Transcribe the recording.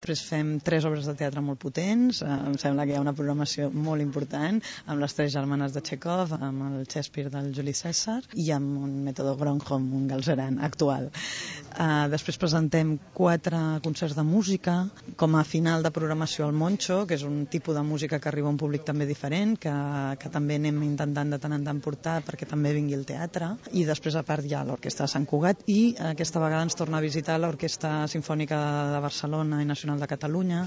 després fem 3 obres de teatre molt potents, em sembla que hi ha una programació molt important, amb les 3 germanes de Chekhov, amb el Shakespeare del Juli César i amb un mètode Gronholm, un galzeran actual. Després presentem 4 concerts de música, com a final de programació al Moncho, que és un tipus de música que arriba a un públic també diferent, que també anem intentant de tant en tant portar perquè també vingui al teatre, i després a part hi ha l'Orquestra de Sant Cugat i aquesta vegada ens torna a visitar l'Orquestra Simfònica de Barcelona i Nacional de Catalunya,